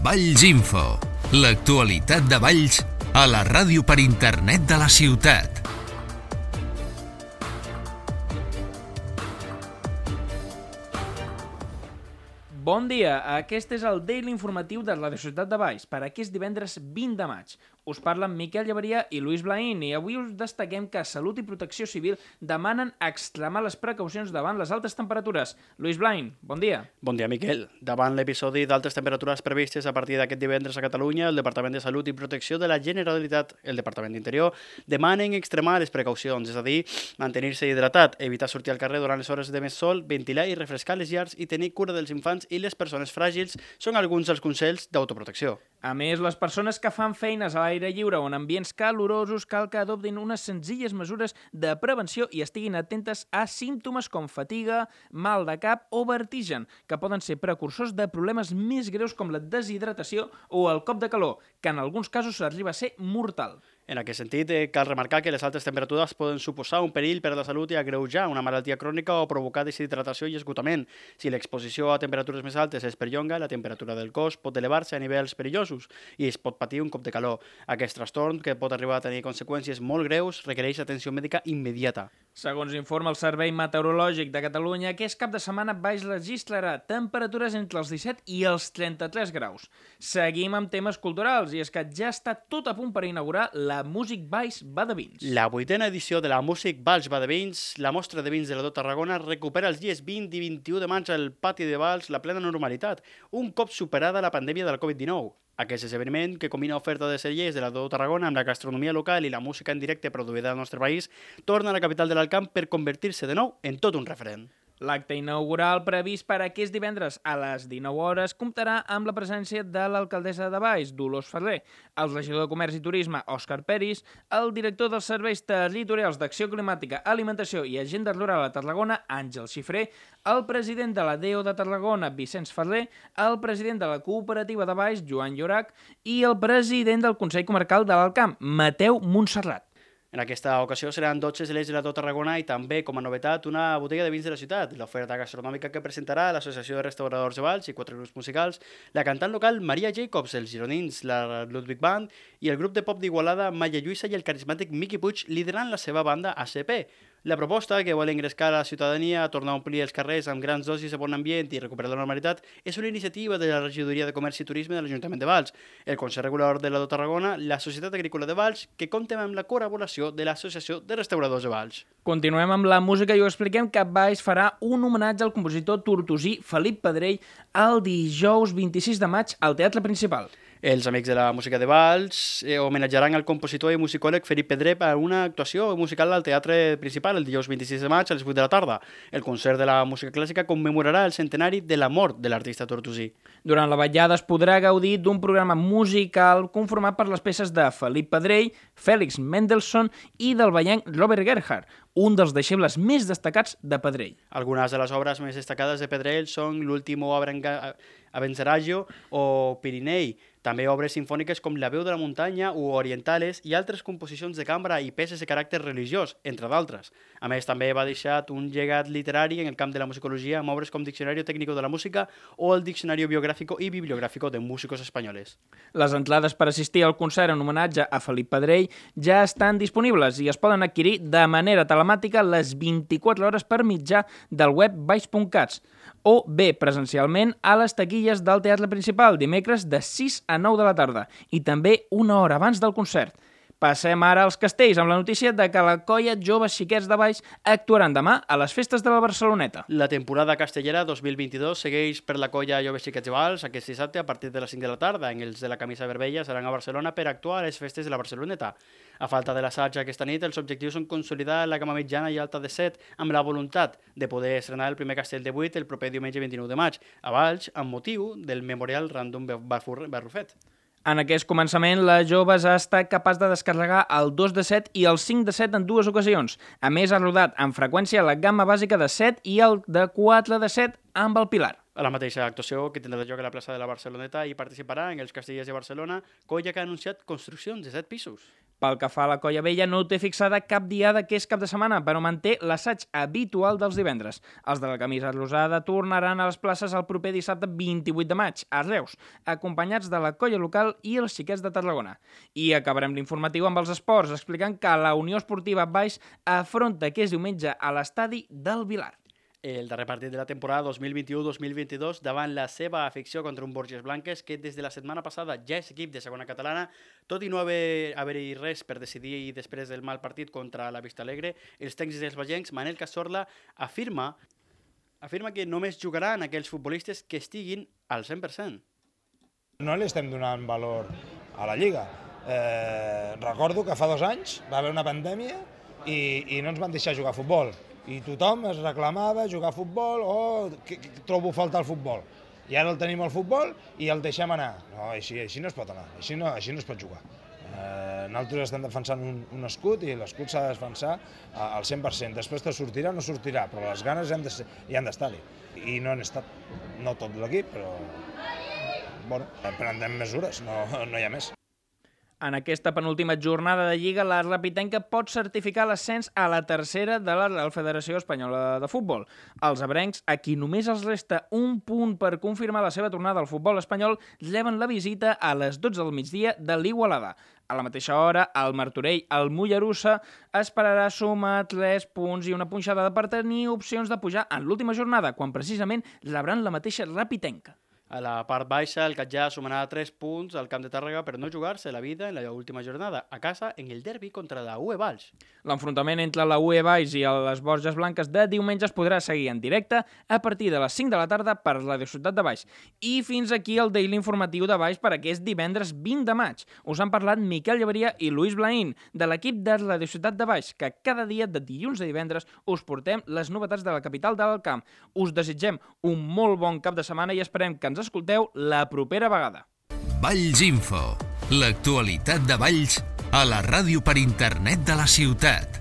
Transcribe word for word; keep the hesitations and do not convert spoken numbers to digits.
Valls Info, l'actualitat de Valls a la ràdio per internet de la ciutat. Bon dia, aquest és el Daily Informatiu de la Ciutat de Valls per aquest divendres vint de maig. Us parlen Miquel Llaveria i Luis Blaín i avui us destaquem que Salut i Protecció Civil demanen extremar les precaucions davant les altes temperatures. Luis Blaín, bon dia. Bon dia, Miquel. Davant l'episodi d'altes temperatures previstes a partir d'aquest divendres a Catalunya, el Departament de Salut i Protecció de la Generalitat, el Departament d'Interior, demanen extremar les precaucions, és a dir, mantenir-se hidratat, evitar sortir al carrer durant les hores de més sol, ventilar i refrescar les llars i tenir cura dels infants i les persones fràgils són alguns dels consells d'autoprotecció. A més, les persones que fan feines a l'aire lliure o en ambients calorosos cal que adoptin unes senzilles mesures de prevenció i estiguin atentes a símptomes com fatiga, mal de cap o vertigen, que poden ser precursors de problemes més greus com la deshidratació o el cop de calor, que en alguns casos arriba a ser mortal. En aquest sentit, eh, cal remarcar que les altes temperatures poden suposar un perill per a la salut i agreujar una malaltia crònica o provocar deshidratació i esgotament. Si l'exposició a temperatures més altes es perllonga, la temperatura del cos pot elevar-se a nivells perillosos i es pot patir un cop de calor. Aquest trastorn, que pot arribar a tenir conseqüències molt greus, requereix atenció mèdica immediata. Segons informa el Servei Meteorològic de Catalunya, aquest cap de setmana Valls registrarà temperatures entre els disset i els trenta-tres graus. Seguim amb temes culturals i és que ja està tot a punt per inaugurar la La Music Valls Va de Vins. La vuitena edició de la Music Valls Va de Vins, la mostra de vins de la Do Tarragona, recupera els dies vint i vint-i-u de maig al pati de Valls la plena normalitat, un cop superada la pandèmia del covid dinou. Aquest esdeveniment, que combina oferta de cellers de la Do Tarragona amb la gastronomia local i la música en directe produïda al nostre país, torna a la capital de l'Alt Camp per convertir-se de nou en tot un referent. L'acte inaugural previst per aquest divendres a les dinou hores comptarà amb la presència de l'alcaldessa de Valls, Dolors Ferrer, el regidor de Comerç i Turisme, Òscar Peris, el director dels Serveis Territorials d'Acció Climàtica, Alimentació i Agenda Rural a Tarragona, Àngel Xifré, el president de la D E O de Tarragona, Vicenç Ferrer, el president de la Cooperativa de Valls, Joan Llorach, i el president del Consell Comarcal de l'Alt Camp, Mateu Montserrat. En aquesta ocasió seran dotze cellers de la Do Tarragona i també, com a novetat, una botella de vins de la ciutat, l'oferta gastronòmica que presentarà l'Associació de Restauradors de Valls i quatre grups musicals, la cantant local Maria Jacobs, els gironins, la Ludwig Band i el grup de pop d'Igualada Maya Lluïsa i el carismàtic Miqui Puig liderant la seva banda A C P. La proposta, que vol engrescar la ciutadania a tornar a omplir els carrers amb grans dosis de bon ambient i recuperar la normalitat, és una iniciativa de la Regidoria de Comerç i Turisme de l'Ajuntament de Valls, el Consell Regulador de la Do Tarragona, la Societat Agrícola de Valls, que compta amb la col·laboració de l'Associació de Restauradors de Valls. Continuem amb la música i ho expliquem que Valls farà un homenatge al compositor tortosí Felip Pedrell el dijous vint-i-sis de maig al Teatre Principal. Els Amics de la Música de Valls eh, homenatjaran al compositor i musicòleg Felip Pedrell a una actuació musical al Teatre Principal el dijous vint-i-sis de maig a les vuit de la tarda. El concert de la música clàssica commemorarà el centenari de la mort de l'artista tortosí. Durant la vetllada es podrà gaudir d'un programa musical conformat per les peces de Felip Pedrell, Félix Mendelssohn i del vallenc Robert Gerhard, un dels deixebles més destacats de Pedrell. Algunes de les obres més destacades de Pedrell són l'Último Abencerraggio o Pirinei, també obres sinfòniques com La veu de la muntanya o Orientales i altres composicions de cambra i peces de caràcter religiós, entre d'altres. A més, també va deixar un llegat literari en el camp de la musicologia amb obres com Diccionario Técnico de la Música o el Diccionario Biográfico y Bibliográfico de Músicos Españoles. Les entrades per assistir al concert en homenatge a Felip Pedrell ja estan disponibles i es poden adquirir de manera telemàtica les vint-i-quatre hores per mitjà del web valls punt cat o bé presencialment a les taquilles del Teatre Principal dimecres de sis a nou de la tarda i també una hora abans del concert. Passem ara als castells amb la notícia de que la colla Joves Xiquets de Valls actuaran demà a les festes de la Barceloneta. La temporada castellera dos mil vint-i-dos segueix per la colla Joves Xiquets de Valls aquest dissabte a partir de les cinc de la tarda. En els de la camisa vermella seran a Barcelona per actuar a les festes de la Barceloneta. A falta de l'assaig aquesta nit, els objectius són consolidar la gamma mitjana i alta de set amb la voluntat de poder estrenar el primer castell de vuit el proper diumenge vint-i-nou de maig a Valls amb motiu del Memorial Random Barrufet. En aquest començament, la Joves ha estat capaç de descarregar el dos de set i el cinc de set en dues ocasions. A més, ha rodat amb freqüència la gamma bàsica de set i el de quatre de set amb el Pilar. A la mateixa actuació que tindrà lloc a la plaça de la Barceloneta hi participarà en els Castellers de Barcelona, colla que ha anunciat construccions de set pisos. Pel que fa a la Colla Vella, no té fixada cap diada que és cap de setmana, però manté l'assaig habitual dels divendres. Els de la camisa rosada tornaran a les places el proper dissabte vint-i-vuit de maig, a Reus, acompanyats de la colla local i els xiquets de Tarragona. I acabarem l'informatiu amb els esports, explicant que la Unió Esportiva Baix afronta aquest diumenge a l'estadi del Vilar. El darrer partit de la temporada dos mil vint-i-u dos mil vint-i-dos davant la seva afició contra un Borges Blanques que des de la setmana passada ja és equip de segona catalana, tot i no haver-hi haver res per decidir després del mal partit contra la Vista Alegre, els tècnics dels bagencs, Manel Cazorla, afirma, afirma que només jugaran aquells futbolistes que estiguin al cent per cent. No li estem donant valor a la Lliga. Eh, recordo que fa dos anys va haver una pandèmia i, i no ens van deixar jugar a futbol. I tothom es reclamava jugar a futbol o oh, que, que trobo falta al futbol. I ara el tenim al futbol i el deixem anar. No, així, així no es pot anar, així no, així no es pot jugar. Eh, nosaltres estem defensant un, un escut i l'escut s'ha de defensar al cent per cent. Després te sortirà o no sortirà, però les ganes han de ser, hi han d'estar-hi. I no han estat, no tot l'equip, però bueno, prendrem mesures, no, no hi ha més. En aquesta penúltima jornada de Lliga, la Rapitenca pot certificar l'ascens a la tercera de la Real Federació Espanyola de Futbol. Els abrencs, a qui només els resta un punt per confirmar la seva tornada al futbol espanyol, reben la visita a les dotze del migdia de l'Igualada. A la mateixa hora, el Martorell, el Mollerussa, esperarà sumar tres punts i una punxada per tenir opcions de pujar en l'última jornada, quan precisament rebran la mateixa Rapitenca. A la part baixa, el Catllà sumarà tres punts al camp de Tàrrega per no jugar-se la vida en la última jornada, a casa en el derbi contra la U E Valls. L'enfrontament entre la U E Valls i les Borges Blanques de diumenge es podrà seguir en directe a partir de les cinc de la tarda per Radio Ciutat de Valls. I fins aquí el Daily Informatiu de Valls per aquest divendres vint de maig. Us han parlat Miquel Llevaria i Luis Blaín, de l'equip de Radio Ciutat de Valls, que cada dia de dilluns a divendres us portem les novetats de la capital del camp. Us desitgem un molt bon cap de setmana i esperem que ens escolteu la propera vegada. Valls Info, l'actualitat de Valls a la ràdio per internet de la ciutat.